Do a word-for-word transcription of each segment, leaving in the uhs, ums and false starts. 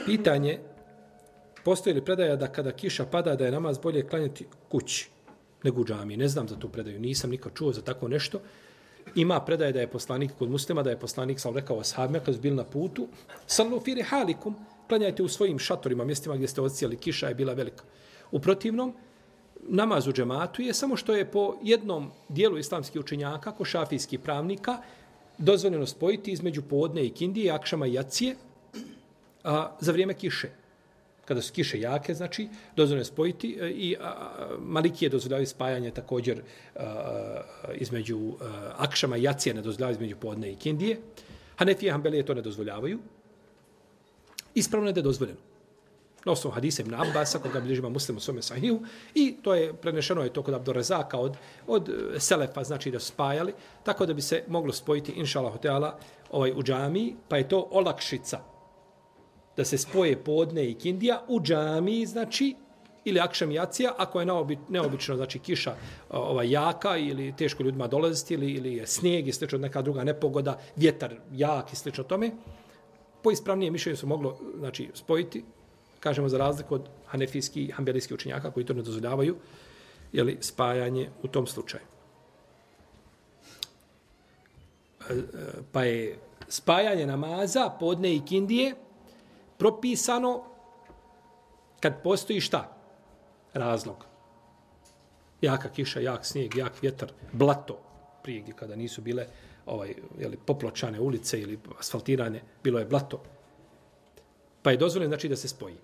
Pitanje, postoji li predaja da kada kiša pada da je namaz bolje klanjati kući nego u džamiji? Ne znam za tu predaju, nisam nikad čuo za tako nešto. Ima predaje da je poslanik kod muslima, da je poslanik sam rekao ashabima kad su bili na putu, sallu fi rihalikum, klanjajte u svojim šatorima, mjestima gdje ste odsijeli, kiša je bila velika. U protivnom, namaz u džematu je samo što je po jednom dijelu islamskih učenjaka, ko šafijskih pravnika, dozvoljeno spojiti između podne i kindije, akšama i jacije, a, za vrijeme kiše. Kada su kiše jake, znači, dozvoljeno je spojiti i a, a, Malikije dozvoljavaju spajanje također a, a, između a, akšama i jacije, ne dozvoljavaju između podne i kindije. Hanefije i Hanbelije to ne dozvoljavaju. Ispravno je da je dozvoljeno. Na osnovu hadisa ibn Abbasa, koga bilježi Imam Muslim u svome sahiju, i to je prenešeno je to kod Abdurrazaka od, od Selefa, znači da su spajali, tako da bi se moglo spojiti, inšalahu teala, ovaj, u džamiji, pa je to olakšica da se spoje podne i kindija u džamiji, znači, ili akšam jacija, ako je neobi, neobično, znači, kiša ovaj, jaka ili teško ljudima dolaziti, ili, ili je snijeg i slično neka druga nepogoda, vjetar jak i slično tome, po ispravnije mišljenje su moglo, znači, spojiti, kažemo za razliku od hanefijskih i hanbelijskih učenjaka koji to ne dozvoljavaju, jeli, spajanje u tom slučaju. Pa je spajanje namaza, podne i kindije, propisano kad postoji šta? Razlog. Jaka kiša, jak snijeg, jak vjetar, blato, prije gdje kada nisu bile ovaj, jeli, popločane ulice ili asfaltirane, bilo je blato. Pa je dozvoljeno znači da se spoji.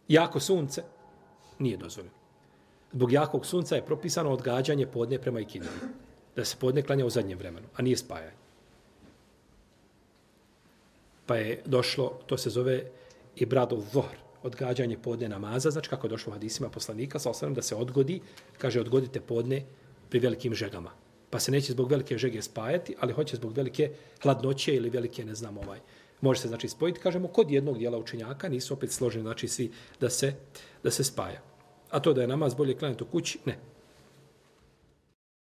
Jako sunce nije dozvoljeno. Zbog jakog sunca je propisano odgađanje podne prema ikindiji. Da se podne klanja u zadnjem vremenu, a nije spajanje. Pa je došlo, to se zove i bradov vohr, odgađanje podne namaza, znači kako je došlo u hadisima poslanika, sa osnovim da se odgodi, kaže odgodite podne pri velikim žegama. Pa se neće zbog velike žege spajati, ali hoće zbog velike hladnoće ili velike, ne znam, ovaj, može se znači spojiti, kažemo, kod jednog dijela učenjaka, nisu opet složeni, znači svi da se, da se spaja. A to da je namaz bolje klanjati u kući, ne.